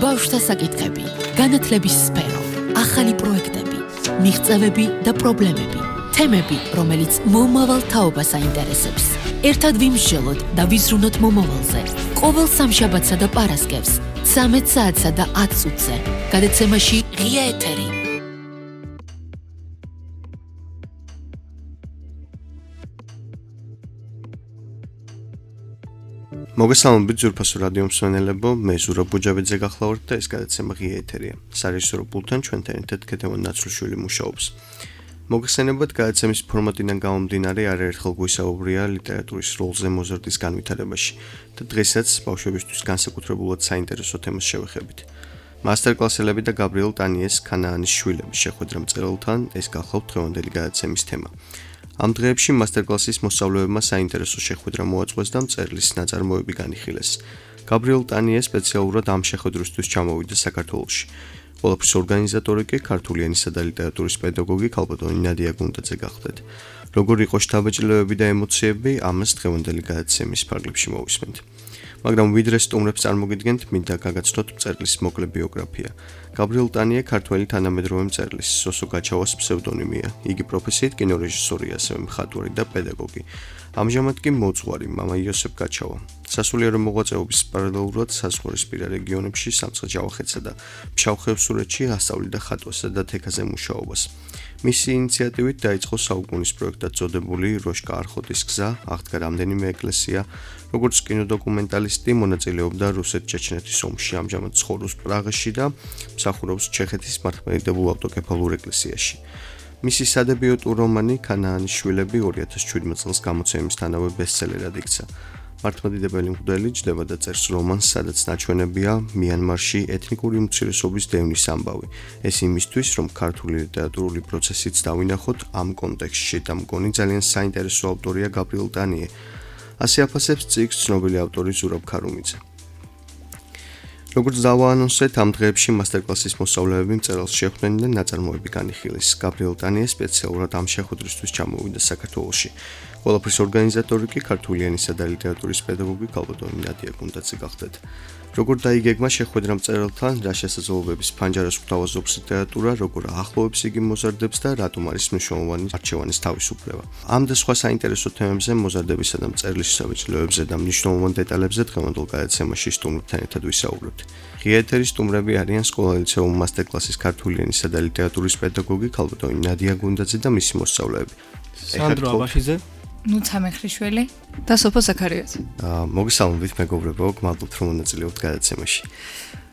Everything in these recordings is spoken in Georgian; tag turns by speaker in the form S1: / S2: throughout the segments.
S1: ბავშვთა საკითხები, განათლების სფერო, ახალი პროექტები, მიღწევები და პრობლემები, თემები, რომელიც მომავალ თაობას აინტერესებს. ერთად ვიმსჯელოთ და ვიზრუნოთ მომავალზე. ყოველ სამშაბათსა და პარასკევს, 13 საათსა და 10 წუთზე. გადაცემაში ღია ეთერი.
S2: მოგესალმებით ძვირფასო რადიო მსმენელებო, მე ზურაბ ბუჯაბიძე გახლავართ და ეს გადაცემა ღია ეთერია. სარეჟისორო პულტთან ჩვენთან ერთად ქეთევან ნაცრუშვილი მუშაობს. მოგესალმებით გადაცემის ფორმატიდან გამომდინარე არაერთხელ გვისაუბრია ლიტერატურის როლზე მოზარდის განვითარებაში და დღესაც ბავშვებისთვის განსაკუთრებულად საინტერესო თემას შევეხებით. მასტერკლასელები და გაბრიელ ტანიეს ქანაანის შვილების შეხვედრა მწერალთან ეს გახლავთ დღევანდელი გადაცემის თემა. ამ დღეებში მასტერკლასის მოსწავლეებმა საინტერესო შეხვედრა მოაწყვეს და მწერლის ნაწარმოები განიხილეს. გაბრიელ ტანიე სპეციალურად ამ შეხვედრისთვის ჩამოვიდა საქართველოში. ყველაფრის ორგანიზატორი კი ქართული ენისა და ლიტერატურის პედაგოგი ქალბატონი ნადია გუნდაძე გახლდათ. როგორ იყო შთაბეჭდილებები და ემოციები, ამას დღევანდელი გადაცემის ფარგლებში მოვისმენთ. მაგრამ ვიდრე სტუმრებს წარმოგიდგენთ, მინდა გაგაცნოთ მწერლის მოკლე ბიოგრაფია. გაბრიელ ტანიე ქართველი თანამედროვე მწერლის სოსო გაჩავას ფსევდონიმია. იგი პროფესიით კინორეჟისორია, ასევე მხატვარი და პედაგოგი. ამჟამად კი მოძღვარი მამა იოსებ გაჩავა. სასულიერო მოღვაწეობის პარალელურად საზღვარისპირა რეგიონებში, სამცხე-ჯავახეთსა და ფშავ-ხევსურეთში ასწავლიდა ხატვასა და თექაზე მუშაობას. მისი ინიციატივით დაიწყო საუკუნის პროექტად წოდებული როშკა არხოტის გზა, აღდგა რამდენიმე ეკლესია, როგორც კინოდოკუმენტალისტი მონაწილეობდა რუსეთ-ჩეჩნეთის ომში, ამჟამად ცხოვრობს პრაღაში და მსახურობს ჩეხეთის მართლმადიდებულ ავტოკეფალურ ეკლესიაში. მისი სადებიუტო რომანი ქანაანის შვილები 2017 წელს გამოცემისთანავე ბესტსელერად იქცა. მართლმადიდებელი მღვდელი ჯდება და წერს რომანს, სადაც ნაჩვენებია მიანმარში ეთნიკური უმცირესობის დევნის ამბავი. ეს იმისთვის, რომ ქართული ლიტერატურული პროცესიც დავინახოთ ამ კონტექსტში და მგონი ძალიან საინტერესო ავტორია გაბრიელ ტანიე. ასე აფასებს წიგნს ცნობილი ავტორი ზურაბ ქარუმიძე. როგორც დავაანონსეთ, ამ დღეებში მასტერკლასის მოსწავლეები მწერალს შეხვდნენ და ნაწარმოები განიხილეს. გაბრიელ ტანიე სპეციალურად ამ შეხვედრისთვის ჩამოვიდა საქართველოში. ყველაფრის ორგანიზატორი კი ქართული ენისა და ლიტერატურის პედაგოგი ქალბატონი ნადია გუნდაძე გახლდათ. როგორ დაიგეგმა შეხვედრა მწერალთან, რა შესაძლებლობების ფანჯარას გვთავაზობს ლიტერატურა, როგორ ახლოვებს იგი მოზარდებს და რატომ არის მნიშვნელოვანი არჩევანის თავისუფლება. ამ და სხვა საინტერესო თემებზე, მოზარდებისა და მწერლის საბეჭდილებებზე და მნიშვნელოვან დეტალებზე დღევანდელ გადაცემაში სტუმრებთან ერთად ვისაუბრებთ. ღია ეთერის სტუმრები არიან სკოლა-ლიცეუმ მასტერკლასის ქართული ენისა და ლიტერატურის პედაგოგი ქალბატონი ნადია გუნდაძე და მისი მოსწავლეები.
S3: სანდრო აბაშიძე,
S4: ნუცა მეხრიშვილი და სოფო ზაქარიაძე.
S2: მოგესალმებით მეგობრებო, გმადლობთ რომ მონაწილეობთ გადაცემაში.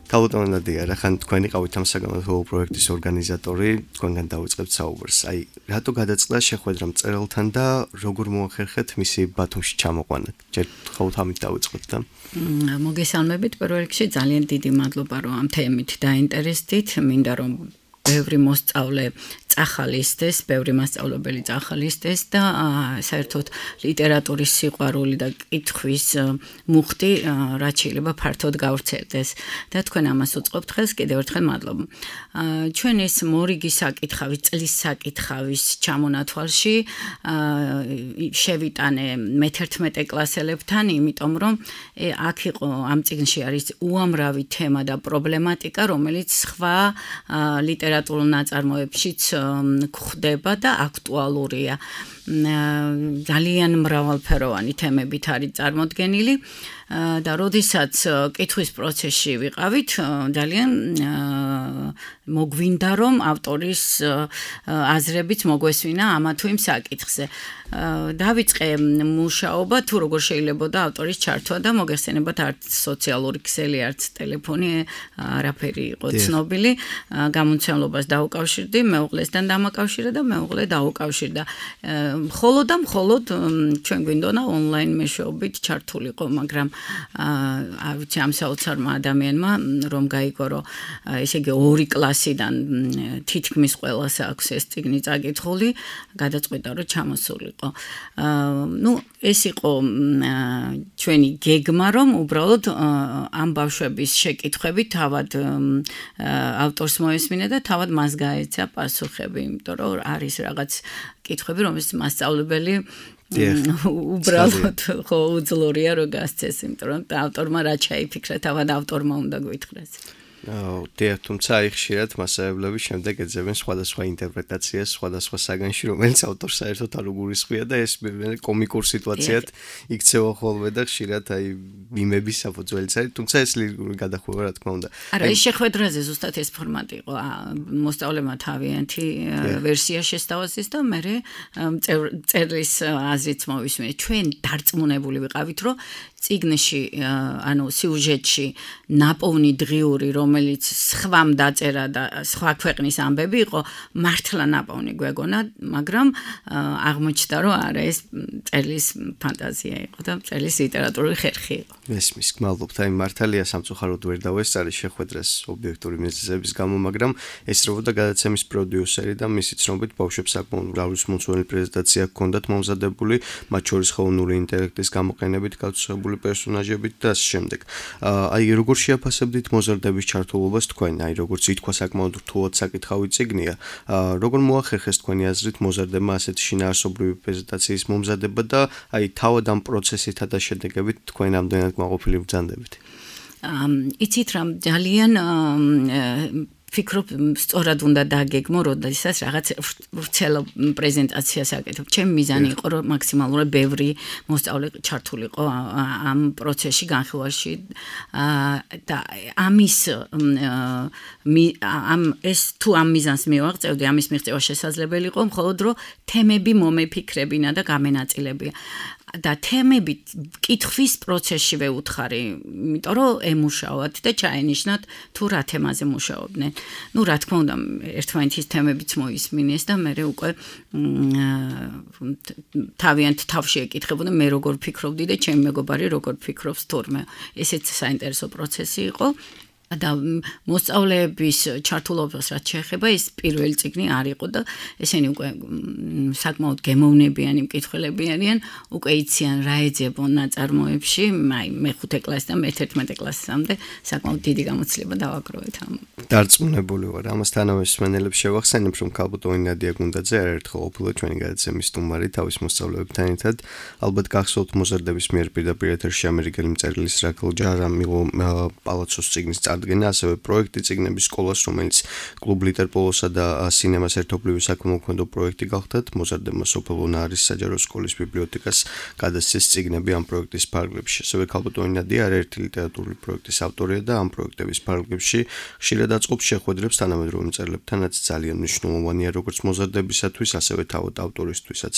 S2: ქალბატონი ნადია, რახან თქვენი ყავით ამ საგანმანათლებლო პროექტის ორგანიზატორი, თქვენგან დავიწყებთ საუბარს. რატო გადაწყდა შეხვედრა მწერალთან და როგორ მოახერხეთ მისი ბათუმში ჩამოყვანა? ჯერ ხავთ ამით დავიწყოთ და
S5: მოგესალმებით, პირველ რიგში ძალიან დიდი მადლობა რომ ამ თემით დაინტერესდით. მინდა რომ ბევრი მოსწავლე წახალისდეს, ბევრი მასწავლებელი წახალისდეს და საერთოდ ლიტერატურის სიყვარული და კითხვის მუხტი რაც შეიძლება ფართოდ გავრცელდეს და თქვენ ამას უწყობთ ხელს, კიდევ ერთხელ მადლობა. ჩვენ ეს მორიგი საკითხავის, წლის საკითხავის ჩამონათვალში შევიტანე მე-11 კლასელებთან, იმიტომ რომ აქ იყო ამ წიგნში არის უამრავი თემა და პრობლემატიკა, რომელიც სხვა ლიტერატურულ ნაწარმოებშიც გვხვდება და აქტუალურია. ძალიან მრავალფეროვანი თემებით არის წარმოდგენილი და როდესაც კითხვის პროცესში ვიყავით, ძალიან მოგვინდა რომ ავტორის აზრებით მოგვესვინა ამა თუ იმ საკითხზე. დავიწყე მუშაობა თუ როგორ შეიძლებოდა ავტორის ჩართვა და მოგეხსენებათ არც სოციალური ქსელი, არც ტელეფონი არაფერი იყო ცნობილი. გამომცემლობას დაუკავშირდი, მეუღლესთან დამაკავშირა და მეუღლე დაუკავშირდა. მხოლოდ ჩვენ გვინდონა ონლაინ მეშვეობით ჩართულიყო, მაგრამ არ ვიცი ამ საოცარმა ადამიანმა რომ გაიგო რომ ესე იგი 2 კლასიდან თითქმის ყველას აქვს ეს წიგნი წაკითხული, გადაწყვიტა რომ ჩამოსულიყო. ეს იყო ჩვენი გეგმა რომ უბრალოდ ამ ბავშვების შეკითხვები თავად ავტორს მოესმინა და თავად მას გაეცა პასუხები, იმიტომ რომ არის რაღაც კითხვები, რომელსაც მასწავლებელი უბრალოდ ხო უძლურია რომ გასცეს, იმიტომ რომ ავტორმა რა ჩაიფიქრა, თავად ავტორმა უნდა გვითხრას.
S2: თუმცა აი ხშირად მასწავლებლები შემდეგ ეძებენ სხვადასხვა ინტერპრეტაციას სხვადასხვა საგანში, რომელიც ავტორს საერთოდ არ უგულისხმია და ეს კომიკურ სიტუაციად იქცევა ხოლმე და ხშირად აი მიმების საფუძველიც არის, თუმცა ეს ლირიკული გადახვევა რა თქმა უნდა.
S5: არა, ის შეხვედრაზე ზუსტად ეს ფორმატი იყო. მოსწავლემა თავიანთი ვერსია შესთავაზეს და მე წერლის აზრიც მოვისმენთ. ჩვენ დარწმუნებული ვიყავით, რომ წიგნში, ანუ სიუჟეტში ნაპოვნი დღიური, რომელიც სხვამ დაწერა და სხვა ქვეყნის ამბები იყო, მართლა ნაპოვნი გვეგონა, მაგრამ აღმოჩნდა, რომ არა, ეს წერლის ფანტაზია იყო და წერლის ლიტერატურული ხერხი იყო.
S2: მესმის, გმადლობთ. აი მართალია სამწუხაროდ ვერ დავესწარი შეხვედრას ობიექტური მიზეზების გამო, მაგრამ ესწრებოდა გადაცემის პროდიუსერი და მისი ცნობით ბავშვებს საკმაოდ მრავალმომცველი პრეზენტაცია ჰქონდათ მომზადებული, მათ შორის ხელოვნური ინტელექტის გამოყენებით გაცნობებული პერსონაჟებით და ამ შემდეგ. აი როგორ შეაფასებდით მოზარდების ჩართულობას თქვენ? აი როგორც ითქვა საკმაოდ რთულად საკითხავი წიგნია. როგორ მოახერხეს თქვენი აზრით მოზარდებმა ასეთი შინაარსობრივი პრეზენტაციის მომზადება და აი თავად ამ პროცესითა და შედეგებით თქვენ ამდენად მაყოფილი ბრძანდებით?
S5: იცით რა ძალიან ფიქრობ, სწორად უნდა დაგეგმო, როდესაც რაღაც ვრცელო პრეზენტაციას აკეთებ. ჩემი მიზანი იყო, რომ მაქსიმალურად ბევრი მოსწავლე ჩართულიყო ამ პროცესში, განხილვაში და ამის ეს თუ ამ მიზანს მივაღწევდი, ამის მიღწევა შესაძლებელი იყო, მხოლოდ რომ თემები მომეფიქრებინა და გამენაწილებია. და თემები კითხვის პროცესში ვეუთხარი, იმიტომ რომ ემუშაოთ და ჩაენიშნათ თუ რა თემაზე მუშაობდნენ. ნუ რა თქმა უნდა, ერთმანეთის თემებიც მოისმინეს და მე უკვე თავიანთ თავში ეკითხებოდა მე როგორ ფიქრობდი და ჩემი მეგობარი როგორ ფიქრობს თურმე. ესეც საინტერესო პროცესი იყო. და მოსწავლეების ჩართულობას რაც შეეხება, ეს პირველი წიგნი არ იყო და ესენი უკვე საკმაოდ გემოვნებიანი მკითხველები არიან, უკვე იციან რა ეძებონ ნაწარმოებში, აი მე-5 კლასიდან მე-11 კლასამდე საკმაოდ დიდი გამოცდილება დავაგროვეთ ამ.
S2: დარწმუნებული ვარ, ამასთანავე მსმენელებს შევახსენებ, რომ ქალბატონი ნადია გუნდაძე არაერთხელ ყოფილა ჩვენი გადაცემის სტუმარი თავის მოსწავლეებთან ერთად. ალბათ გახსოვთ მოზარდების მიერ პირდაპირ ეთერში ამერიკელი მწერლის რაკელ ჯარამილო პალაცოს წიგნის წარდგენა, ასევე პროექტი წიგნების სკოლას, რომელიც კლუბ ლიტერპოლოსა და სინემას ერთობლივი საქველმოქმედო პროექტი გახდათ. მოზარდებმა სოფელ უნარის საჯარო სკოლის ბიბლიოთეკას გადასცეს წიგნები ამ პროექტის ფარგლებში. ასევე ქალბატონი ნადია არაერთი ლიტერატურული პროექტის ავტორია და ამ პროექტების ფარგლებში ხშირად აწყობს შეხვედრებს თანამედროვე მწერლებთანაც ძალიან მნიშვნელოვანია როგორც მოზარდებისათვის, ასევე თავად ავტორისთვისაც.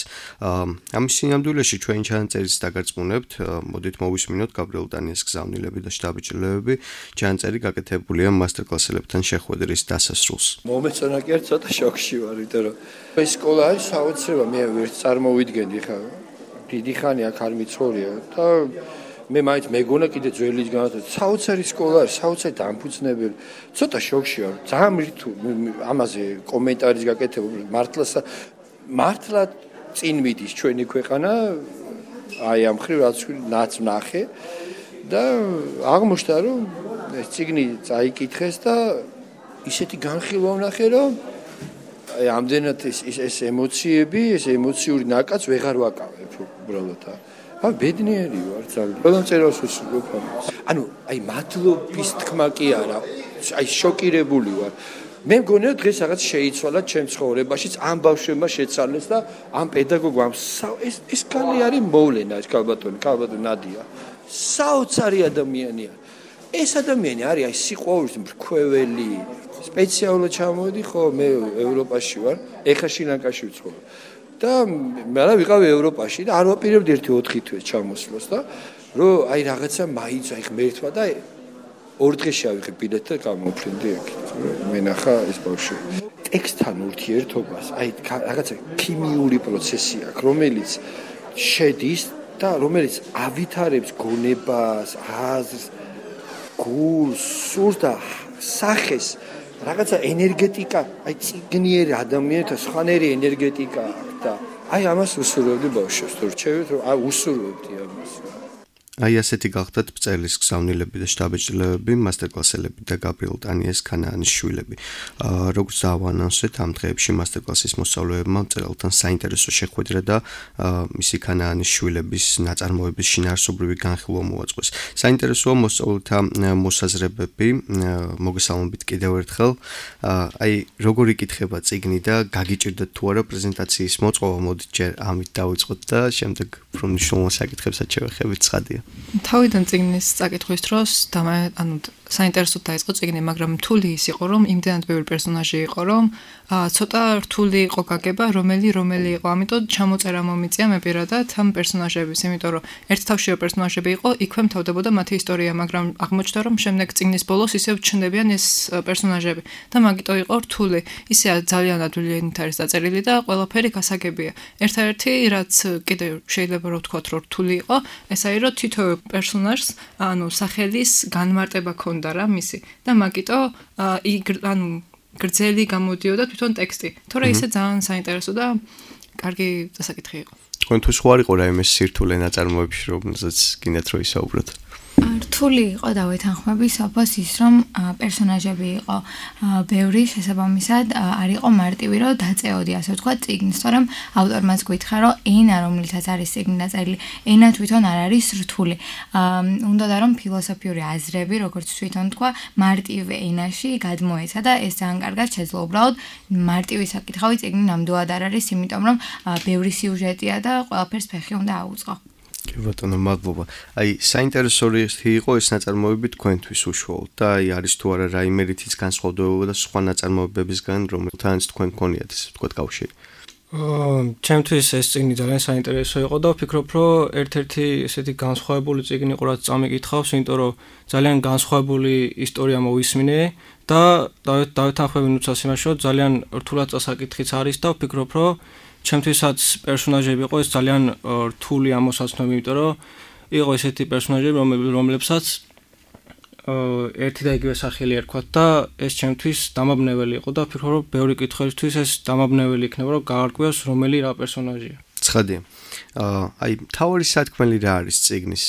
S2: ამის სინამდვილეში ჩვენი ჩანაწერის დაგარწმუნებთ, მოდით მოვისმინოთ გაბრიელ დანიეს გზავნილები და შტაბ-ჭრილები. ჩანაწერი გაკეთებულია მასტერკლასელებთან შეხვედრის დასასრულს.
S3: მომეწონა კი არ ცოტა შოქში ვარ, იმიტომ რომ ეს სკოლა არის საოცრება, მე ვერც წარმოვიდგენდი ხა. დიდი ხანი აქ არ მიცხოვრია და მე მაინც მეგონა კიდე ძველის განათლება. საოცარი სკოლა არის, საოცარი დამფუძნებელი. ცოტა შოქში ვარ. ძალიან რთულ ამაზე კომენტარის გაკეთება მართლა წინ მიდის ჩვენი ქვეყანა აი ამ ხრივ რაც ნახე და აღმოჩნდა რომ ეს წიგნი წაიკითხეს და ისეთი განხილვა ვნახე რომ აი ამდენად ეს ემოციები, ეს ემოციური ნაკაც ვეღარ ვაკავებ უბრალოდ. ბედნიერი ვარ ძალიან. ყველა მწერალს ვუსურვებ ამას. ანუ აი მადლობის თქმა კი არა, აი შოკირებული ვარ. მე მგონია დღეს რაღაც შეიცვალა ჩემ ცხოვრებაშიც ამ ბავშვებმა შეცვალეს და ამ პედაგოგმა ეს კალი არის მოვლენა ეს ქალბატონი ნადია. საოცარი ადამიანია. ეს ადამიანი არის აი სიყვარულის მრქვეველი. სპეციალურად ჩამოვედი ხო მე ევროპაში ვარ, ეხლა შრი-ლანკაში ვცხოვრობ. და მე რა ვიყავი ევროპაში და არ ვაპირებდი 1-4 თვეს ჩამოსვლას და რომ აი რაღაცა მაინც აი ღმერთმა და 2 დღეში ავიღე ბილეთი და გამოვფრინდი აქ. მე ნახა ეს ბავშვი. ტექსტთან ურთიერთობას, აი რაღაცა ქიმიური პროცესი აქვს, რომელიც შედის და რომელიც ავითარებს გონებას, აზრს, გულს, სურს და სახეს, რაღაცა ენერგეტიკა, აი წიგნიერი ადამიანთა სხვანაირი ენერგეტიკა აქვს და აი ამას უსურვებდი ბავშვებს, თუ რჩევით, რომ უსურვებდი ამას.
S2: აი ასეთი გახდათ წერლის გზავნილები და შტაბეჭდილებები, მასტერკლასელები და გაბრიელ ტანიეს ქანაანის შვილები. როგორც დავანონსეთ, ამ დღეებში მასტერკლასის მოსწავლეებმა მწერალთან საინტერესო შეხვედრა და მისი ქანაანის შვილების ნაწარმოების შინაარსობრივი განხილვა მოაწყვეს. საინტერესოა მოსწავლეთა მოსაზრებები, მოგესალმებით კიდევ ერთხელ. აი როგორ იკითხება წიგნი და გაგიჭირდათ თუ არა პრეზენტაციის მოწყობა, მოდით ჯერ ამით დავიწყოთ და შემდეგ უფრო მნიშვნელოვან საკითხებსაც შევეხებით, ცხადია.
S4: თავიდან წიგნის წაკითხვის დროს საინტერესოდ დაიწყო წიგნი, მაგრამ რთული ის იყო, რომ იმდენად ბევრი პერსონაჟი იყო, რომ ცოტა რთული იყო გაგება, რომელი იყო. ამიტომ ჩამოწერა მომიწია მე პირადად ამ პერსონაჟების, იმიტომ რომ ერთ თავშივე პერსონაჟები იყო, იქვე მთავრდებოდა მათი ისტორია, მაგრამ აღმოჩნდა, რომ შემდეგ წიგნის ბოლოს ისევ ჩნდებიან ეს პერსონაჟები და მაგიტო იყო რთული. ისე ძალიან ადვილიანით არის დაწერილი და ყველაფერი გასაგებია. ერთ-ერთი რაც კიდევ შეიძლება რომ ვთქვათ, რომ რთული იყო, ეს არის რომ თითოეულ პერსონაჟს, სახელის განმარტება ქონდა რა მისი და მაგიტო გრძელი გამოდიოდა თვითონ ტექსტი. თორე ისე ძალიან საინტერესო და კარგი დასაკითხი იყო.
S2: თქვენთვის ხო არ იყო რაიმე სირთულე ნაწარმოებში, რომელზეც გინდათ რომ ისაუბროთ?
S6: რთული იყო დავეთანხმები სოფოს ის რომ პერსონაჟები იყო ბევრი შესაბამისად არ იყო მარტივი რომ დაწეოდი ასე ვთქვათ წიგნს, თორემ ავტორმაც გითხრა რომ ენა რომლითაც არის წიგნი დაწერილი, ენა თვითონ არ არის რთული. უნდოდა რომ ფილოსოფიური აზრები, როგორც თვითონ თქვა, მარტივ ენაში გადმოეცა და ეს ძალიან კარგად შეძლო. უბრალოდ მარტივი საკითხავი წიგნი ნამდვილად არ არის, იმიტომ რომ ბევრი სიუჟეტია და ყველაფერს ფეხი უნდა აუწყო.
S2: კი ბატონო, მადლობა. აი, საინტერესო იყო ეს ნაწარმოები თქვენთვის უშუალოდ და აი არის თუ არა რაიმე რითიც განსხვავდება და სხვა ნაწარმოებებისგან, რომელთანაც თქვენ გქონიათ ესე ვთქვათ კავშირი?
S7: ჩემთვის ეს წიგნი ძალიან საინტერესო იყო და ვფიქრობ, რომ ერთ-ერთი ესეთი განსხვავებული წიგნი იყო, რაც წამიკითხავს, იმიტომ რომ ძალიან განსხვავებული ისტორია მოვისმინე და დავეთანხმები ნუცას იმაში, რომ ძალიან რთულად წასაკითხიც არის და ვფიქრობ, რომ ჩემთვისაც პერსონაჟები იყო ეს ძალიან რთული ამოსაცნობი, იმიტომ რომ იყო ესეთი პერსონაჟები, რომლებსაც ერთი და იგივე სახელი ერქვათ და ეს ჩემთვის დამაბნეველი იყო და ვფიქრობ, რომ ბევრი კითხვისთვის ეს დამაბნეველი იქნება, რომ გაარკვიოს რომელი რა პერსონაჟია.
S2: ცხადია. აი, თავი სათქმელი რა არის წიგნის,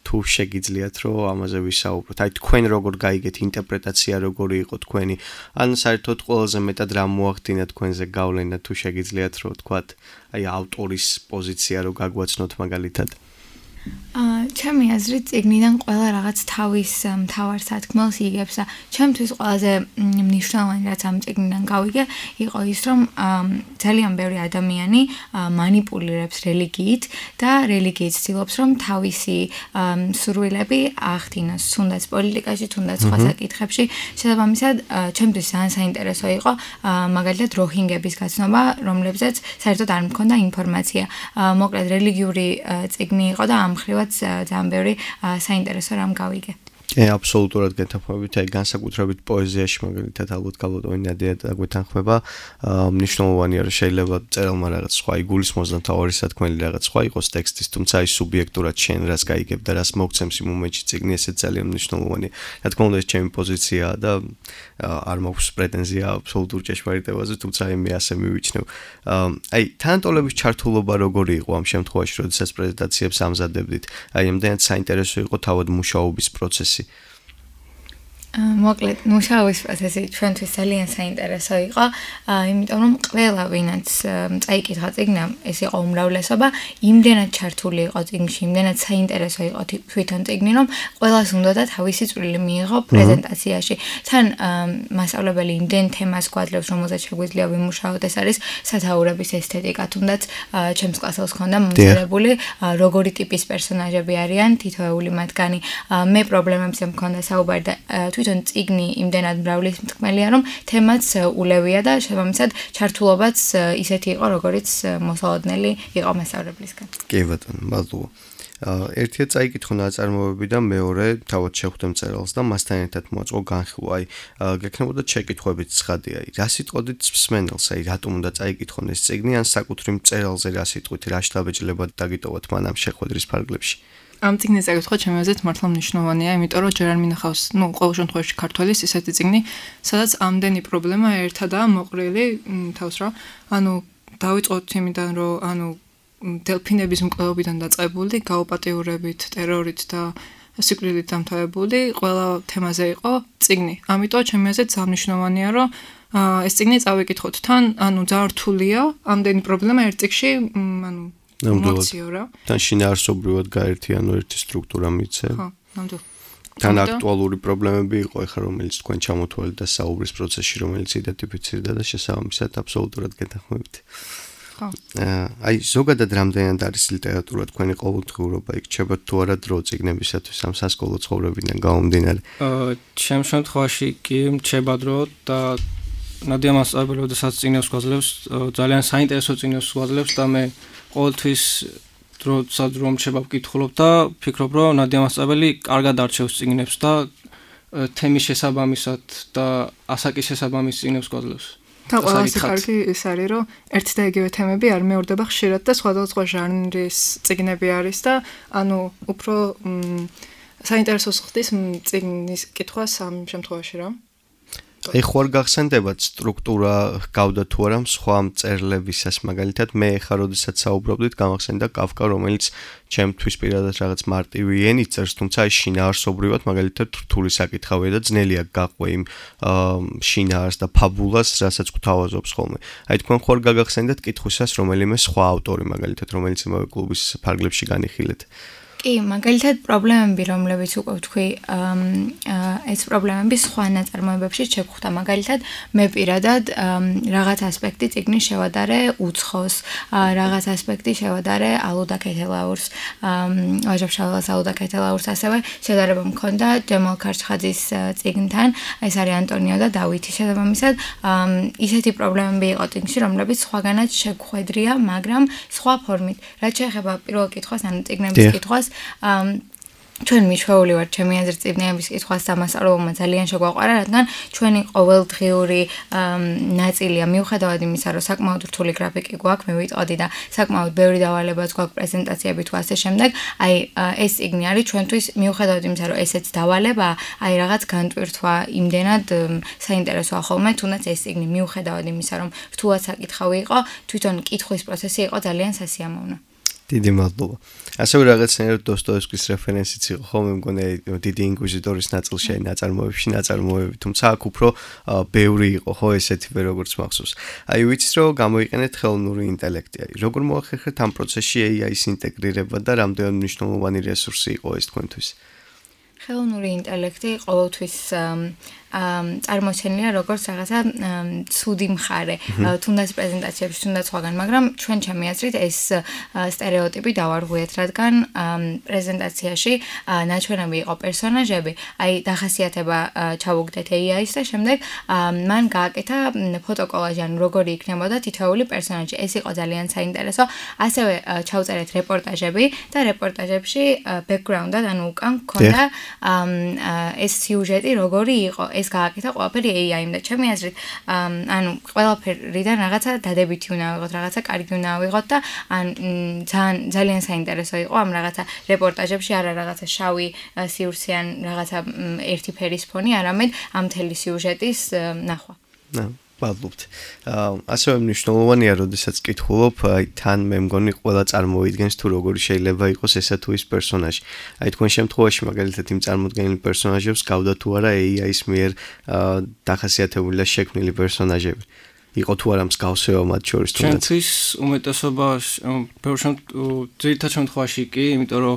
S2: თუ შეგიძლიათ რომ ამაზე ვისაუბროთ. აი, თქვენ როგორ გაიგეთ ინტერპრეტაცია, როგორი იყო თქვენი, ან საერთოდ ყველაზე მეტად რა მოახდინა თქვენზე გავლენა, თუ შეგიძლიათ რომ ვთქვათ, აი, ავტორის პოზიცია რო გაგვაცნოთ მაგალითად.
S6: ჩემი აზრით წიგნიდან ყველა რაღაც თავის მთავარ სათქმელს იგებს და ჩემთვის ყველაზე მნიშვნელოვანი რაც ამ წიგნიდან გავიგე იყო ის რომ ძალიან ბევრი ადამიანი მანიპულირებს რელიგიით და რელიგიით ცდილობს რომ თავისი სურვილები აღდგინოს თუნდაც პოლიტიკაში, თუნდაც სხვა საკითხებში. შესაბამისად ჩემთვის ძალიან საინტერესო იყო მაგალითად როჰინგების გაცნობა, რომლებზეც საერთოდ არ მქონდა ინფორმაცია. მოკლედ რელიგიური წიგნი იყო და ამ ხრივაც ძალიან ბევრი საინტერესო რამ გავიგე.
S2: აბსოლუტურად გეთანხმებით, აი განსაკუთრებით პოეზიაში მაგალითად ალბათ გალოტოინადია დაგვეთანხმება, მნიშვნელოვანია რომ შეიძლება წერალმა რაღაც სხვა იგულისხმოს და თავარი სათქმელი რაღაც სხვა იყოს ტექსტის, თუმცა ის სუბიექტურად შენ რას გაიგებ და რას მოგცემს იმ მომენტში წიგნი, ესეც ძალიან მნიშვნელოვანია. რა თქმა უნდა, ეს ჩემი პოზიციაა და არ მაქვს პრეტენზია აბსოლუტურ ჭეშმარიტებაზე, თუმცა მე ასე მივიჩნევ. აი თანატოლების ჩართულობა როგორი იყო ამ შემთხვევაში, როდესაც პრეზენტაციებს ამზადებდით? აი ამდენად საინტერესო იყო თავად მუშაობის პროცესი.
S6: მოკლედ მუშაობის პროცესი ჩვენთვის ძალიან საინტერესო იყო, იმიტომ რომ ყველა ვინაც წაიკითხა წიგნი, ეს იყო უმრავლესობა, იმდენად ჩართული იყო წიგნში, იმდენად საინტერესო იყო თვითონ წიგნი, რომ ყველას უნდოდა თავისი წვლილი მიიღო პრეზენტაციაში. თან მასწავლებელი იმდენ თემას გვაძლევს, რომელზეც შეგვიძლია ვიმუშაოთ, ეს არის სათაურების ესთეტიკა, თუნდაც ჩემს კლასელს ჰქონდა მომზადებული როგორი ტიპის პერსონაჟები არიან თითოეული მათგანი. მე პრობლემებზე მქონდა საუბარი და თვითონ წიგნი იმდენად მრავალმთქმელია, რომ თემაც ულევია და შესაბამისად ჩართულობაც ისეთი იყო, როგორიც მოსალოდნელი იყო მასწავლებლისგან.
S2: კი ბატონო, მადლობა. ერთია წაიკითხო ნაწარმოებები და მეორე თავად შეხვდე მწერალს და მასთან ერთად მოაწყო განხილვა. აი, გექნებოდა შეკითხვებით ცხადია. აი, რა სიტყვით მსმენელს, აი, რატომ უნდა წაიკითხონ ეს წიგნი, ან საკუთრივ მწერალზე რა სიტყვით, რა შთაბეჭდილებად დაგიტოვოთ მან ამ შეხვედრის ფარგლებში?
S4: ამ წიგნის წაკითხვა ჩემი აზრით მართლა მნიშვნელოვანია, იმიტომ რომ ჯერ არ მინახავს, ყოველ შემთხვევაში ქართველის ისეთი წიგნი, სადაც ამდენი პრობლემა ერთადაა მოყრილი თავს რა. დავიწყოთ იმიდან, რომ დელფინების მკვლელობიდან დაწყებული, გაუპატიურებით, ტერორით და სიკვდილით დამთავრებული ყველა თემაზე იყო წიგნი. ამიტომ ჩემი აზრით სამნიშნავია, რომ ეს წიგნი წავიკითხოთ თან, ძალიან რთულია, ამდენი პრობლემა ერთ წიგნში, მოციო რა.
S2: თან შინაარსობრივად გაერთიანო ერთი სტრუქტურა მიცე.
S4: ხო, ნამდვილად.
S2: თან აქტუალური პრობლემები იყო ეხლა რომელიც თქვენ ჩამოთვალეთ და საუბრის პროცესში რომელიც იდენტიფიცირდა და შესაბამისად აბსოლუტურად გეთანხმებით. აი ზოგადად რამდენად არის ლიტერატურა თქვენი ყოველდღიურობა იქ ჩება თუ არა დრო წიგნებისათვის ამ სასკოლო ცხოვრებიდან გამომდინარე?
S7: ჩემ შემთხვევაში კი ჩება დრო და ნადია მასწავლებელი როდესაც წიგნებს გვაძლევს ძალიან საინტერესო წიგნებს გვაძლევს და მე ყოველთვის დროსაც რომ ჩება ვკითხულობ და ფიქრობ რომ ნადია მასწავლებელი კარგად არჩევს წიგნებს და თემის შესაბამისად და ასაკის შესაბამის წიგნებს გვაძლევს.
S4: და ყველაზე კარგი ის არის, რომ ერთი და იგივე თემები არ მეორდება ხშირად და სხვადასხვა ჟანრის წიგნები არის და უფრო საინტერესოს ხდის წიგნის კითხვას ამ შემთხვევაში რა.
S2: აი ხო არ გახსენდებათ სტრუქტურა გავდა თუ არა სხვა მწერლებისას მაგალითად მე ხა როდესაც საუბრობდით გამახსენდა კაფკა რომელიც ჩემთვის პირადად რაღაც მარტივი ენით წერს თუმცა აი შინაარსობრივად მაგალითად რთული საკითხავია და ძნელია გაყვე იმ შინაარს და ფაბულას რასაც გვთავაზობს ხოლმე აი თქვენ ხო არ გაგახსენდათ კითხვისას რომელიმე სხვა ავტორი მაგალითად რომელიც იმავე კლუბის ფარგლებში განიხილეთ
S6: კი, მაგალითად პრობლემები, რომლებიც უკვე ვთქვი, ეს პრობლემები სხვა ნაწარმოებებში შეგხვდა. მაგალითად, მე პირადად რაღაც ასპექტი წიგნის შევადარე უცხოს, რაღაც ასპექტი შევადარე ალუდა ქეთელაურს, ვაჟა-ფშაველას ალუდა ქეთელაურს, ასევე შედარება მქონდა ჯემალ ქარჩხაძის წიგნთან, ეს არის ანტონიო და დავითი შესაბამისად, ისეთი პრობლემები იყო წიგნში, რომლებიც სხვაგანაც შეგხვედრია, მაგრამ სხვა ფორმით. რაც შეეხება პირველ კითხვას, ანუ წიგნების კითხვას ჩვენ მიშვეული ვართ ჩემი აზრით წიგნების კითხვას დამასწავლებლმა ძალიან შეგვაყვარა, რადგან ჩვენი ყოველდღიური ნაწილია მიუხედავად იმისა, რომ საკმაოდ რთული გრაფიკი გვაქვს, მე ვიტყოდი და საკმაოდ ბევრი დავალებაც გვაქვს პრეზენტაციები თუ ასე შემდეგ, აი ეს წიგნი არის ჩვენთვის მიუხედავად იმისა, რომ ესეც დავალებაა, აი რაღაც განტვირთვა იმდენად საინტერესოა ხოლმე, თუნდაც ეს წიგნი მიუხედავად იმისა, რომ რთულად საკითხავი იყო, თვითონ კითხვის პროცესი იყო ძალიან სასიამოვნო.
S2: დიდი მადლობა. ასევე რაღაცნაირად დოსტოევსკის რეფერენსიც იყო ხოლმე მგონი დიდი ინკვიზიტორის ნაწილში ნაწარმოებები, თუმცა აქ უფრო ბევრი იყო ხო ესეთივე როგორც მახსოვს. აი ვიცით რომ გამოიყენეთ ხელოვნური ინტელექტი. აი როგორ მოახერხეთ ამ პროცესში AI-ის ინტეგრირება და რამდენად მნიშვნელოვანი რესურსი იყო ეს თქვენთვის?
S6: ხელოვნური ინტელექტი ყოველთვის წარმოჩენილია როგორც რაღაცა ცუდი მხარე, თუნდაც პრეზენტაციებში, თუნდაც სხვაგან, მაგრამ ჩვენ ჩემი აზრით ეს სტერეოტიპი დავარღვიეთ, რადგან პრეზენტაციაში ნაჩვენები იყო პერსონაჟები, აი დახასიათება ჩავუგდეთ AI-ს და შემდეგ მან გააკეთა ფოტოკოლაჟი, ანუ როგორი იქნებოდა თითოეული პერსონაჟი. ეს იყო ძალიან საინტერესო. ასევე ჩავწერეთ რეპორტაჟები და რეპორტაჟებში background-ად, ანუ უკან გქონდა ეს სიუჟეტი როგორი იყო. ეს გააკეთა ყველაფერი AI-მ და ჩემი აზრით, ანუ ყველაფერიდან რაღაცა დადებითი უნდა ვიღოთ, რაღაცა კარგი უნდა ვიღოთ და ძალიან საინტერესო იყო ამ რაღაცა რეპორტაჟებში, არა რაღაცა შავი სიურცე ან რაღაცა ერთი ფერის ფონი, არამედ ამ მთელი სიუჟეტის ნახვა.
S2: მადლობთ. ასევე მნიშვნელოვანია, როდესაც კითხულობ, აი თან მე მგონი ყველა წარმოიდგენს თუ როგორი შეიძლება იყოს ესა თუ ის პერსონაჟი. აი თქვენ შემთხვევაში მაგალითად იმ წარმოდგენილი პერსონაჟებს გავდა თუ არა AI-ის მიერ დახასიათებული და შექმნილი პერსონაჟები. იყო თუ არა მსგავსება მათ შორის თუნდაც?
S7: ჩვენთვის უმეტესობა ძირითად შემთხვევაში კი, იმიტომ რომ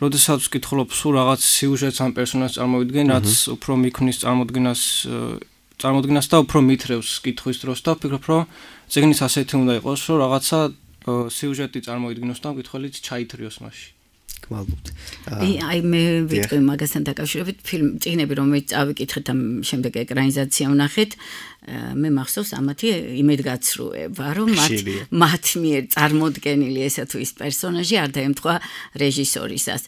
S7: როდესაც ვკითხულობ სულ რაღაც სიუჟეტს ამ პერსონაჟს წარმოვიდგენ, რაც უფრო მიქმნის წარმოდგენას და უფრო მითრევს კითხვის დროს და ვფიქრობ, რომ წიგნის ასეთი უნდა იყოს, რომ რაღაცა სიუჟეტი წარმოიდგინოს და მკითხველიც ჩაითრიოს მასში.
S2: გმადლობთ.
S5: აი მე ვიტყვი მაგასთან დაკავშირებით წიგნები რომელიც წავიკითხეთ ამ შემდეგ ეკრანიზაცია ვნახეთ, მე მახსოვს ამათი იმედგაცრუება, რომ მათ მიერ წარმოდგენილი ესა თუ ის პერსონაჟი არ დაემთხვა რეჟისორისას.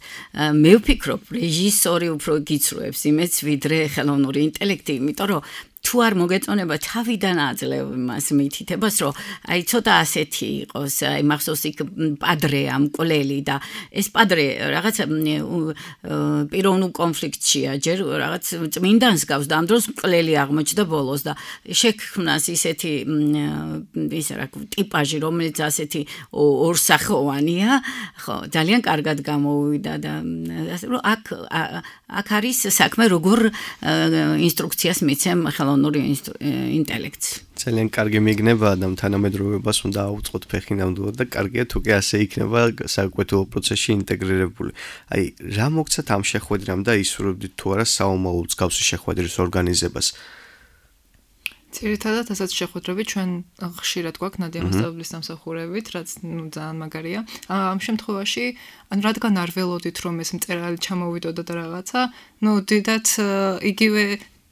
S5: მე ვფიქრობ, რეჟისორი უფრო გიცრუებს იმედს, ვიდრე ხელოვნური ინტელექტი, იმიტომ რომ თუ თუ არ მოგეწონება თავიდან აძლევ მას მითითებას, რომ აი ცოტა ასეთი იყოს, აი მახსოვს იქ პადრეა მკვლელი და ეს პადრე რაღაც პიროვნულ კონფლიქტშია, ჯერ რაღაც წმინდანს გავს და ამ დროს მკვლელი აღმოჩნდა ბოლოს და შექმნას ისეთი ისა რა ტიპაჟი, რომელიც ასეთი ორსახოვანია, ხო, ძალიან კარგად გამოუვიდა და ასე რომ აქ არის საქმე როგორ ინსტრუქციას მიცემ ხელოვნური ინტელექტს.
S2: ძალიან კარგი მიგნება და თანამედროვეობას უნდა აუწყოთ ფეხი ნამდვილად და კარგია თუ კი ასე იქნება საკვეთილო პროცესში ინტეგრირებული. აი, რა მოგცათ ამ შეხვედრამ და ისურვებდით თუ არა საომალო მსგავსი შეხვედრის ორგანიზებას?
S4: ძირითადად ასეთ შეხვედრები ჩვენ ხშირად გვაქვს ნადია მასწავლებლის სამსახურებით, რაც ძალიან მაგარია. ამ შემთხვევაში, რადგან არ ველოდით რომ ეს მწერალი ჩამოვიდოდა და რაღაცა, დიდად იგივე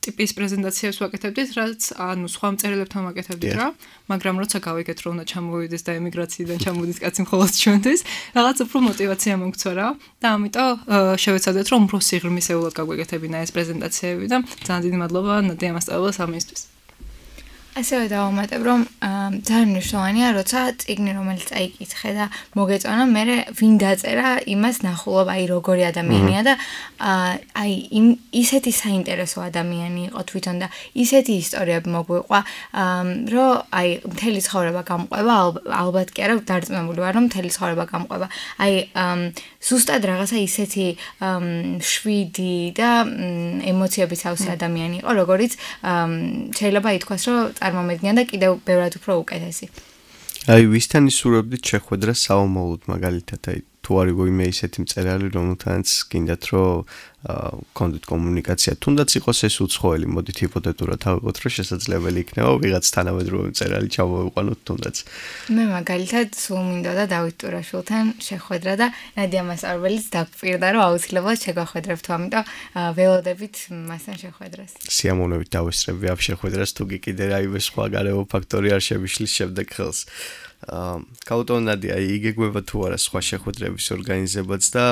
S4: ტიპის პრეზენტაციას ვაკეთებდით, რაც სხვა მწერლებთან ვაკეთებდით რა, მაგრამ როცა გავიგეთ რომ უნდა ჩამოვიდეს და ემიგრაციიდან ჩამოვიდეს კაცი მხოლოდ ჩვენთვის, რაღაც უფრო мотиваცია მომქცვა რა და ამიტომ შევეცადეთ რომ უფრო სიღრმისეულად გაგვეკეთებინა ეს პრეზენტაციები და ძალიან დიდი მადლობა ნადია მასწავლებლას ამისთვის.
S6: ასევე დავამატებ, რომ ძალიან მნიშვნელოვანია, როცა წიგნი რომელიც წაიკითხე და მოგეწონა, მე ვინ დაწერა, იმას ნახულობ, აი როგორი ადამიანია და აი ისეთი საინტერესო ადამიანი იყო თვითონ და ისეთი ისტორიები მოგვიყვა, რომ აი მთელი ცხოვრება გამყვება, ალბათ კი არა, დარწმუნებული ვარ, რომ მთელი ცხოვრება გამყვება. აი ზუსტად რაღაცა ისეთი შვიდი და ემოციების ავსი ადამიანი იყო, როგორიც შეიძლება ითქვას, რომ წარმომედგინა და კიდევ ბევრად უფრო უკეთესი.
S2: აი, ვისთან ისურვებდით შეხვედრა საომალოდ მაგალითად, აი თუ არის ვინმე ისეთი მწერალი, რომელთანაც გინდათ რომ კონდით კომუნიკაცია, თუნდაც იყოს ეს უცხოელი, მოდით ჰიპოთეტურად ავიღოთ, რომ შესაძლებელი იქნება ვიღაც თანამედროვე მწერალი ჩამოვიყვანოთ თუნდაც.
S6: მე მაგალითად სულ მინდოდა დავით ტურაშვილთან შეხვედრა და ნადია მასწავლებელიც დაგპირდა, რომ აუცილებლად შეგვახვედრებთ, ამიტომ ველოდებით მასთან შეხვედრას.
S2: სიამოვნებით დავესწრები ამ შეხვედრას, თუ კი კიდე რაიმე სხვა გარემო ფაქტორი არ შემიშლის შემდეგ ხელს. კაუტონ ნადია, იგეგმება თუ არა სხვა შეხვედრების ორგანიზებაც და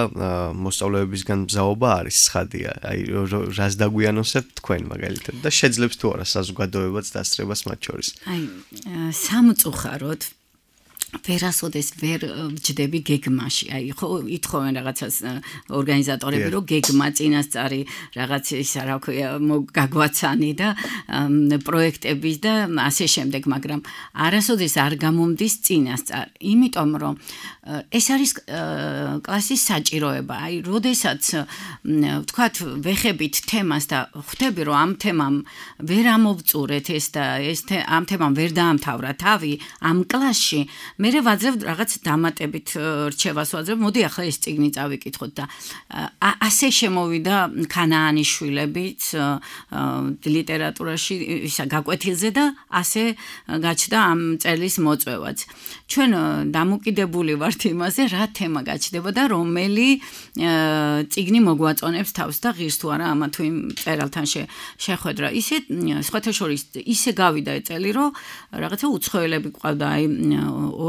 S2: მოსწავლეებისგან მზაობა არის ცხადია. აი, რას დაგვიანოსებთ თქვენ მაგალითად და შეძლებს თუ არა საზოგადოებაც დასწრებას მათ შორის.
S5: აი, სამწუხაროდ ვერასოდეს ვერ ვჯდები გეგმაში. აი, ხო, ითხოვენ რაღაცას ორგანიზატორები, რომ გეგმა წინასწარი რაღაც ისა რა ქვია, გაგვაცანი და პროექტების და ასე შემდეგ, მაგრამ არასოდეს არ გამომდის წინასწარ. იმიტომ რომ ეს არის კლასის საჭიროება. აი, როდესაც ვთქვათ, ვეხებით თემას და ხვდები, რომ ამ თემამ ვერ ამოვწურეთ ეს და ამ თემამ ვერ დაამთავრა თავი ამ კლასში, მე ვაძლევ რაღაც დამატებით რჩევას ვაძლევ, მოდი ახლა ეს წიგნი წავიკითხოთ და ასე შემოვიდა ქანაანის შვილებიც ლიტერატურაში ისა გაკვეთილზე და ასე გაჩნდა ამ წელის მოწვევაც. ჩვენ დამოკიდებული ვართ იმაზე, რა თემა გაჩნდება და რომელი წიგნი მოგვაწონებს თავს და ღირს თუ არა ამა თუ იმ მწერალთან შეხვედრა. ისე სხვათა შორის ისე გავიდა წელი, რომ რაღაცა უცხოელები ყავდა, აი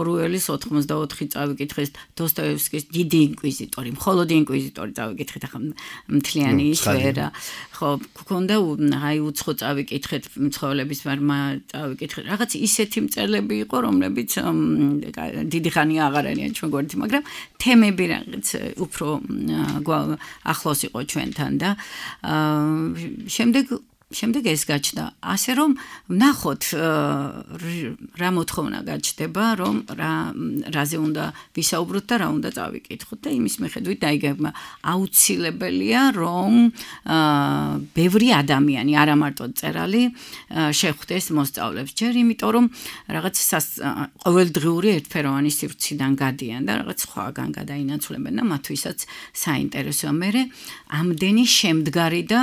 S5: ორუელის 84 წავიკითხეს, დოსტოევსკის დიდი ინკვიზიტორი, მხოლოდ ინკვიზიტორი წავიკითხეთ, ახლა მთლიანი ისვერა. ხო, გქონდა აი უცხო წავიკითხეთ, მცხოვრების მარმა წავიკითხეთ. რაღაც ისეთი მწერლები იყო, რომლებიც დიდი ხანია აღარ არიან ჩვენ გვერდით, მაგრამ თემები რაღაც უფრო ახლოს იყო ჩვენთან და შემდეგ ეს გაჩნდა. ასე რომ ვნახოთ რა მოთხოვნა გაჩნდება, რომ რაზე უნდა ვისაუბროთ და რა უნდა წავიკითხოთ და იმის მიხედვით დაიგებმა. აუცილებელია, რომ ბევრი ადამიანი, არა მარტო მწერალი, შეხვდეს მოსწავლებს. ჯერ იმიტომ რომ რაღაც ყოველდღიური ერთფეროვანი სივრციდან გადიან და რაღაც სხვაგან გადაინაცვლებენ და მათთვისაც საინტერესოა. მე ამდენი შემდგარი და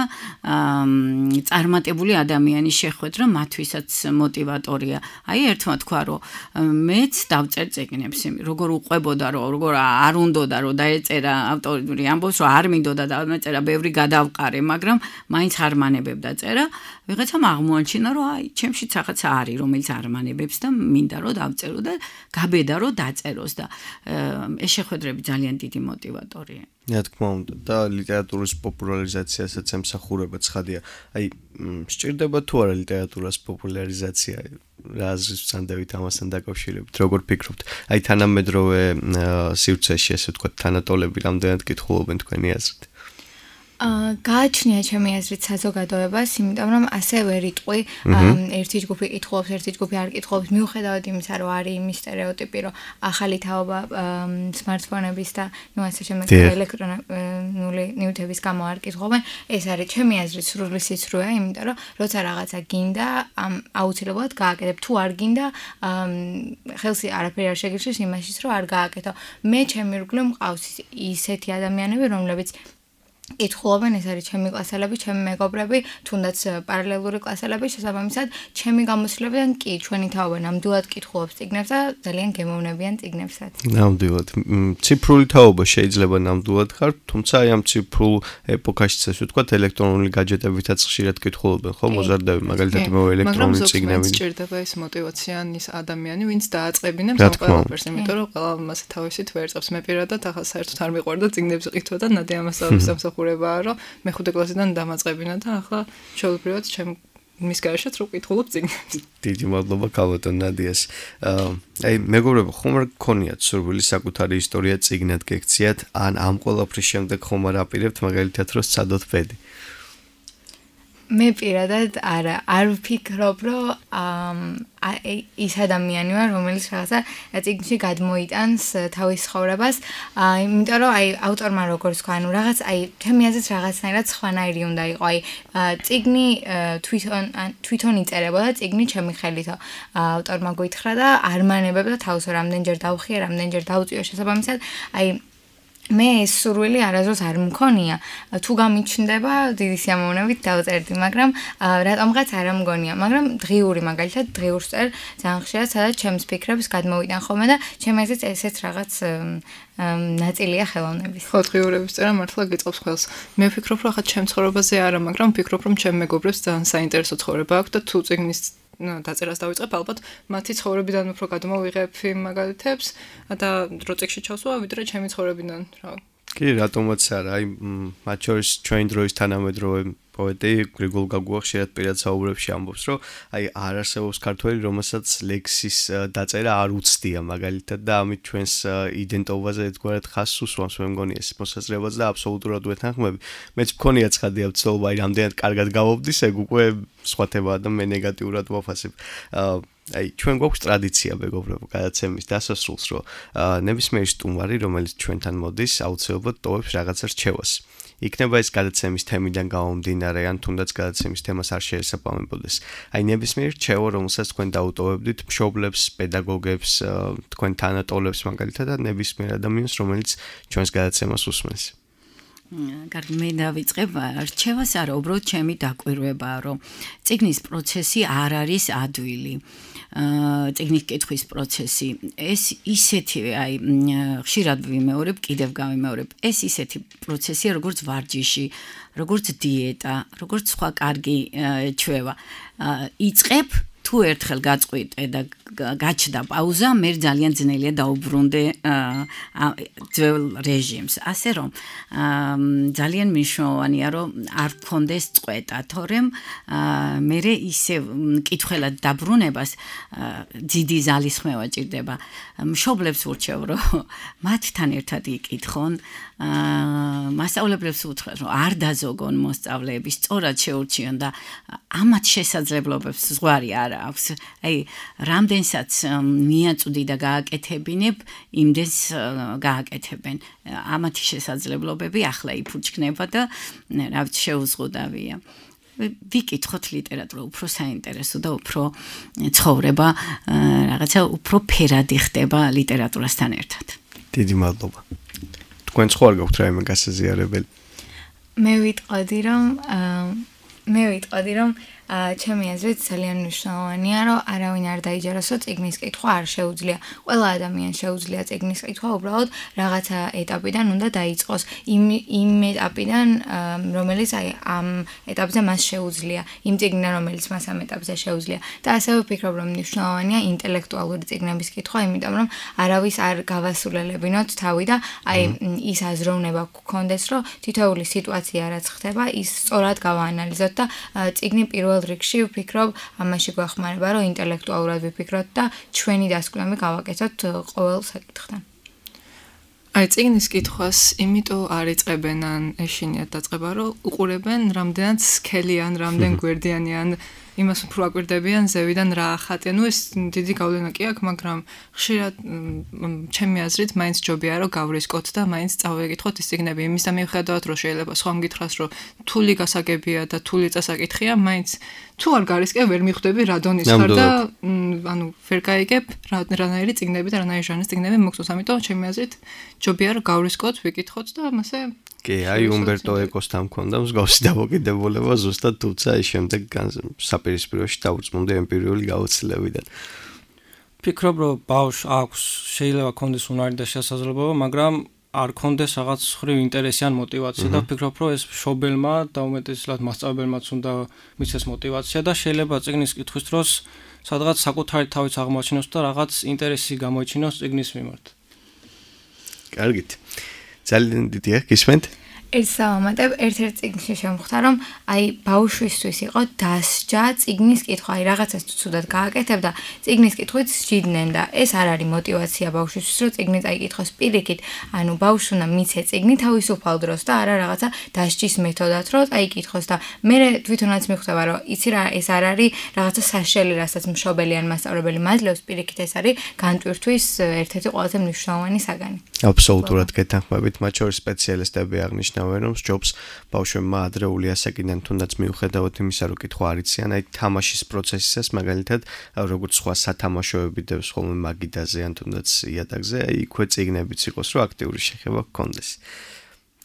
S5: წარმატებული ადამიანის შეხვედრა მათთვისაც мотиваტორია. აი ერთმა თქვა, რომ მეც დავწერ წიგნებს, როგორ უყვებოდა, როგორ არ უნდოდა, რომ დაეწერა ავტორი ამბობს, რომ არ მინდოდა და მეწერა, ბევრი გადავყარე, მაგრამ მაინც არ მანებებდა წერა. ვიღაცამ აღმოაჩინა, რომ აი ჩემშიც რაღაცა არის, რომელიც არ მანებებს და მინდა რომ დავწერო და გაბედა რომ დაწეროს და ეს შეხვედრები ძალიან დიდი мотиваტორია.
S2: რა თქმა უნდა და ლიტერატურის პოპულარიზაციასაც ემსახურება ცხადია. აი სჭირდება თუ არა ლიტერატურას პოპულარიზაცია? რა აზრის ვცანდებით ამასთან დაკავშირებით? როგორ ფიქრობთ? აი თანამედროვე სივრცეში ესე ვთქვათ, თანატოლები რამდენად კითხულობენ თქვენი აზრით?
S6: გააჩნია ჩემი აზრით საზოგადოებას, იმიტომ რომ ასე ვერ იტყვი, ერთი ჯგუფი კითხულობს, ერთი ჯგუფი არ კითხულობს, მიუხედავად იმისა, რომ არის იმის სტერეოტიპი, რომ ახალი თაობა smartphone-ების და ნუ ასე შემდეგ ელექტრონული ნივთების გამო არ კითხულობენ, ეს არის ჩემი აზრით სრული სიცრუე, იმიტომ რომ როცა რაღაცა გინდა, აუცილებლად გააკეთებ, თუ არ გინდა, ხელსი არაფერი არ შეგირჩევს იმაშიც, რომ არ გააკეთო. მე ჩემი ირგვლივ მყავს ისეთი ადამიანები, რომლებიც კითხულობენ, ეს არის ჩემი კლასელები, ჩემი მეგობრები, თუნდაც პარალელური კლასელები, შესაბამისად, ჩემი გამოცდილებიდან კი ჩვენი თაობა ნამდვილად კითხულობს წიგნებს და ძალიან გემოვნებიან წიგნებსაც.
S2: ნამდვილად. ციფრული თაობა შეიძლება ნამდვილად ხარ, თუმცა აი ამ ციფრულ ეპოქაშიც ასე ვთქვათ, ელექტრონული გაჯეტებითაც ხშირად კითხულობენ, ხო, მოზარდები, მაგალითად მე ელექტრონული წიგნები.
S4: მაგრამ სჭირდება ის მოტივაცია ის ადამიანი, ვინც დააწყებინებს ამ ყველაფერს, იმიტომ რომ ყველა მასე თავისით ვერ წერს. მე პირადად ახლა საერთოდ არ მიყვარდა წიგნებს ყიდვა და ნადე ამასწავლის ხურებაა, რომ მე 5 კლასიდან დამაწყებინა და ახლა შეუძლებლად მის გარეშეც რო ვკითხულობ წიგნებს.
S2: დიდი მადლობა ქალბატონ ნადიას. აი მეგობრებო, ხომ არ გქონიათ სურვილი საკუთარი ისტორია წიგნად გექციათ, ან ამ ყველაფრის შემდეგ ხომ არ აპირებთ მაგალითად რომ სცადოთ ბედი?
S6: მე პირადად არ ვფიქრობ, რომ ის ადამიანი ვარ, რომელიც რაღაცა წიგნში გადმოიტანს თავის ცხოვრებას, იმიტომ რომ აი ავტორმა როგორც თქვა, ანუ რაღაც აი ჩემი აზრით რაღაცნაირად სხვანაირი უნდა იყო, აი წიგნი თვითონ იწერებოდა, წიგნი ჩემი ხელით ავტორმა გვითხრა და არ მანებებდა თავს, რამდენჯერ დავხია, რამდენჯერ დავწიო, შესაბამისად, აი მე ეს სურვილი არასდროს არ მქონია. თუ გამიჩნდება, დიდი სიამოვნებით დავწერდი, მაგრამ რატომღაც არ მგონია. მაგრამ დღიური მაგალითად დღიურს წერ ძალიან ხშირად, სადაც ჩემს ფიქრებს გადმოვიტან ხოლმე და ჩემი აზრით ესეც რაღაც ნაწილია ხელოვნების.
S4: ხო, დღიურების წერა მართლა გიწყობს ხელს. მე ვფიქრობ, რომ ხა ჩემ ცხოვრებაზე არა, მაგრამ ვფიქრობ, რომ ჩემ მეგობრებს ძალიან საინტერესო ცხოვრება აქვს და თუ წიგნის დაწერას დავიწყებ, ალბათ მათი ცხოვრებიდან უფრო გადმოვიღებ იმ მაგალითებს და რო წიგნში ჩავსვა, ვიდრე ჩემი ცხოვრებიდან, რა.
S2: კი, რატომაც არა, აი მათ შორის ჩვენი დროის თანამედროვე პოეტი გრიგოლ გაგუა ხშირად პირად საუბრებში ამბობს, რომ აი არ არსებობს ქართველი, რომელსაც ლექსის დაწერა არ უცდია მაგალითად და ამით ჩვენს იდენტობაზე ერთგვარად ხაზს უსვამს, მე მგონი ეს მოსაზრებაც და აბსოლუტურად ვეთანხმები. მეც მქონია ცხადია ვცდილობა, აი რამდენად კარგად გავობდის, ეგ უკვე სხვა თემაა და მე ნეგატიურად ვაფასებ. აი ჩვენ გვაქვს ტრადიცია მეგობრებო გადაცემის დასასრულს, რომ ნებისმიერი სტუმარი, რომელიც ჩვენთან მოდის, აუცილებლად ტოვებს რაღაცა რჩევას. იქნება ეს გადაცემის თემიდან გამომდინარე, ან თუნდაც გადაცემის თემას არ შეესაბამებოდეს. აი ნებისმიერი რჩევა, რომელსაც თქვენ დაუტოვებდით მშობლებს, პედაგოგებს, თქვენ თანატოლებს მაგალითად და ნებისმიერ ადამიანს, რომელიც ჩვენს გადაცემას უსმენს.
S5: კარგი, მე დავიწყებ რჩევას არა, უბრალოდ ჩემი დაკვირვებაა, რომ წიგნის პროცესი არ არის ადვილი. წიგნის კითხვის პროცესი. ეს ისეთი, აი, ხშირად ვიმეორებ, კიდევ გავიმეორებ. ეს ისეთი პროცესია, როგორც ვარჯიში, როგორც დიეტა, როგორც სხვა კარგი ჩვევა. იწყებ თუ ერთხელ გაწყვიტე და გაჩნდა პაუზა, მე ძალიან ძნელია დაუბრუნდე ძველ რეჟიმს. ასე რომ ძალიან მნიშვნელოვანია, რომ არ გქონდეს წყვეტა, თორემ მე ისე კითხველად დაბრუნებას დიდი ზალისხმევა ჭირდება. მშობლებს ვურჩევ, რომ მათთან ერთად იკითხონ, მასწავლებლებს უთხრათ, რომ არ დაზოგონ მოსწავლეები, სწორად შეურჩიონ და ამათ შესაძლებლობებს ზღვარი არ აქვს. აი, რამდენსაც მიაწვდი და გააკეთებინებ, იმდენს გააკეთებენ. ამათი შესაძლებლობები ახლა იფუჩქნება და რა ვიცი, შეუზღუდავია. ვიკითხოთ ლიტერატურა, უფრო საინტერესო და უფრო ცხოვრება, რაღაცა უფრო ფერადი ხდება ლიტერატურასთან ერთად.
S2: დიდი მადლობა. თქვენ ხო არ გაქვთ რაიმე გასაზიარებელი?
S6: მე ვიტყოდი, რომ ჩემი აზრით ძალიან მნიშვნელოვანია, რომ არავინ არ დაიჯეროს, რომ წიგნის კითხვა არ შეუძლია. ყველა ადამიანს შეუძლია წიგნის კითხვა, უბრალოდ რაღაცა ეტაპიდან უნდა დაიწყოს. იმ ეტაპიდან, რომელიც ამ ეტაპზე მას შეუძლია, იმ წიგნიდან, რომელიც მას ამ ეტაპზე შეუძლია. და ასევე ვფიქრობ, რომ მნიშვნელოვანია ინტელექტუალური წიგნების კითხვა, იმიტომ რომ არავის არ გავასულელებინოთ თავი და აი ის აზროვნება გქონდეს, რომ თითოეული სიტუაცია რაც ხდება, ის სწორად გავაანალიზოთ და წიგნი პირველ რიგში ვფიქრობ, ამაში გვახმარება, რომ ინტელექტუალურად ვიფიქროთ და ჩვენი დასკვნები გავაკეთოთ ყოველ საკითხთან.
S4: აი წიგნის კითხვას იმიტომ არ იწყებენ ან ეშინიათ დაწყება, რომ უყურებენ რამდენად სქელიან, რამდენ გვერდიანიან იმას უფრო აკვირდებიან ზევიდან რა ახატია. ნუ ეს დიდი გავლენა კი აქვს, მაგრამ ხშირად ჩემი აზრით მაინც ჯობია რომ გავრისკოთ და მაინც წავეკითხოთ ის წიგნები. იმის და მიუხედავად რომ შეიძლება სხვა მგითხრას რომ თული გასაგებია და თული წასაკითხია, მაინც თუ არ გარისკე ვერ მიხვდები რა დონის ხარ და ანუ ვერ გაიგებ რანაირი წიგნები და რანაირი ჟანრის წიგნები მოგწონს. ამიტომ ჩემი აზრით ჯობია რომ გავრისკოთ, ვიკითხოთ და ამასე
S2: კი, აი უმბერტო ეკოსთან მქონდა მსგავსი დამოკიდებულება ზუსტად, თუმცა ის შემდეგ საპირისპიროში დაუწმუნდა ემპირიული გაუცლებიდან.
S7: ფიქრობ, რომ ბავშვს აქვს შეიძლება კონდეს უნარი და შესაძლებლობა, მაგრამ არ კონდეს რაღაც ხრივ ინტერესი ან мотиваცია და ვფიქრობ, რომ ეს მშობელმა და უმეტესად მასწავლებელმაც უნდა მისცეს мотиваცია და შეიძლება წიგნის კითხვის დროს სადღაც საკუთარი თავის აღმოაჩინოს და რაღაც ინტერესი გამოიჩინოს წიგნის მიმართ.
S2: კარგით. ძალიან დიდია, გისმენთ?
S6: სავამატებ, ერთ-ერთ წიგნში შემხვდა, რომ აი ბავშვისთვის იყო დასჯა წიგნის კითხვა, აი რაღაცას თუ ცუდად გააკეთებ და წიგნის კითხვით სჯიდნენ და ეს არ არის мотиваცია ბავშვისთვის, რომ წიგნი წაიკითხოს პირიქით, ანუ ბავშვს უნდა მიცე წიგნი თავისუფალ დროს და არა რაღაცა დასჯის მეთოდად, რომ წაიკითხოს და მე თვითონაც მიხვდება, რომ იცი რა, ეს არ არის რაღაცა საშელი, რასაც მშობელი ან მასწავლებელი მაძლევს, პირიქით ეს არის განტვირთვის ერთ-ერთი ყველაზე მნიშვნელოვანი საგანი.
S2: აბსოლუტურად გეთანხმებით, მათ შორის სპეციალისტები აღნიშნავენ, რომ ჯობს ბავშვებმა ადრეული ასაკიდან თუნდაც მიუხედავად იმისა, რომ კითხვა არ იციან, აი თამაშის პროცესისას მაგალითად, როგორც სხვა სათამაშოები დევს ხოლმე მაგიდაზე ან თუნდაც იატაკზე, აი იქვე წიგნებიც იყოს, რომ აქტიური შეხება გქონდეს.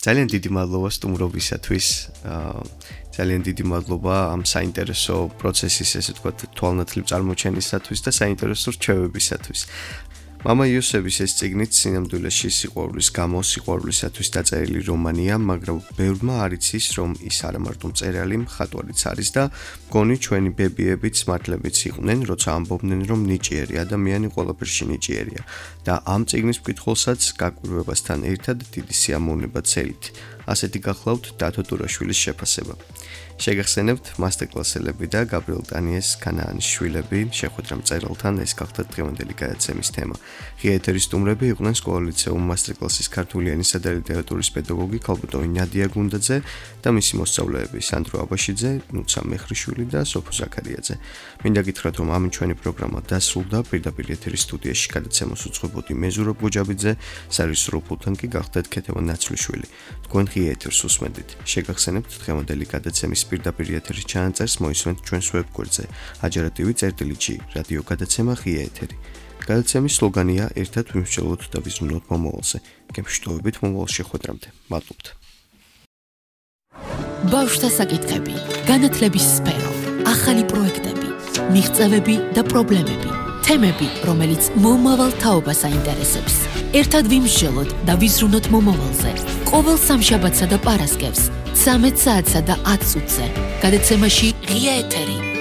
S2: ძალიან დიდი მადლობა სტუმრობისათვის. ძალიან დიდი მადლობა ამ საინტერესო პროცესის, ესე ვთქვათ, თვალნათლივ წარმოჩენისათვის და საინტერესო რჩევებისათვის. მამა იოსების ეს წიგნით სინამდვილეში სიყვარულის გამო სიყვარულისათვის დაწერილი რომანია, მაგრამ ბევრმა არ იცის, რომ ის არა მარტო მწერალი, მხატვარიც არის და მგონი ჩვენი ბებიებიც მართლებიც იყვნენ, როცა ამბობდნენ, რომ ნიჭიერი ადამიანი ყველაფერში ნიჭიერია და ამ წიგნის მკითხველსაც გაკვირვებასთან ერთად დიდი სიამოვნება ცელით. ასეთი გახლავთ დათო ტურაშვილის შეფასება. შეგახსენებთ მასტერკლასელები და გაბრიელ ტანიეს ქანაანის შვილები შეხვედრა მწერალთან, ეს გახდა დღევანდელი გადაცემის თემა. ღია ეთერის სტუმრები იყვნენ სკოლა-ლიცეუმ მასტერკლასის ქართული ენისა და ლიტერატურის პედაგოგი ქალბატონი ნადია გუნდაძე და მისი მოსწავლეები სანდრო აბაშიძე, ნუცა მეხრიშვილი და სოფო ზაქარიაძე. მინდა გითხრათ, რომ ამ ჩვენი პროგრამა დასრულდა, პირდაპირ ეთერის სტუდიაში გადაცემას უძღვებოდი მე ზურაბ გუჯაბიძე, სარეჟისორო პულტთან კი გახდათ ქეთევან ნაცვლიშვილი. თქვენ ღია ეთერს უსმენთ. შეგახსენებთ დღევანდელი გადაცემის პირდაპირ ეთერის ჩანაწერს მოისმენთ ჩვენს ვებგვერდზე ajarativi.gi რადიო გადაცემა ღია ეთერი. გადაცემის სლოგანია ერთად ვიმსჯელოთ და ვიზრუნოთ მომავალზე. გემშვიდობებით მომავალ შეხვედრამდე. მადლობთ.
S1: ბავშვთა საკითხები, განათლების სფერო, ახალი პროექტები, მიღწევები და პრობლემები, თემები, რომელიც მომავალ თაობას აინტერესებს. ერთად ვიმსჯელოთ და ვიზრუნოთ მომავალზე. ყოველ სამშაბათსა და პარასკევს 13 საათსა და 10 წუთზე. გადაცემაში ღია ეთერი.